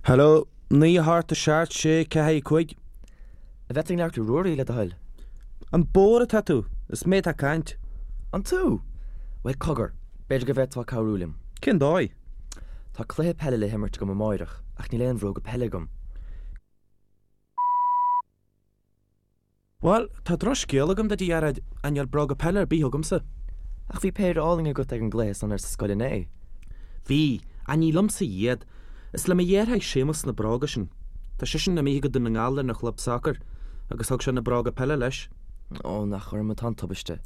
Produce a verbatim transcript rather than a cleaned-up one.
Hello, naoi a hocht a seacht sé ceathair cúig. An bhféadfainn labhairt le Ruairí le do thoil? An bodhar atá tú? Is mé atá ag caint. An tú? Bhuel cogar, b'fhéidir go bhféadfá cabhrú liom. Cén dóigh? Tá cluiche peile le himirt agam amárach ach níl aon bhróga peile agam. Bhuel, tá drochscéal agam duit a Ghearóid, ach níl bróga peile ar bith agamsa. Ach bhí péire álainn agat ag an gcluiche san ar sa scoil inné. Bhí, ach ní liomsa iad. Is le mo dheartháir Séamus na bróga sin. Tá seisean imithe go Dún na nGall lena chlub sacair agus thug sé na bróga peile leis. Ó, nach orm atá an tubaiste.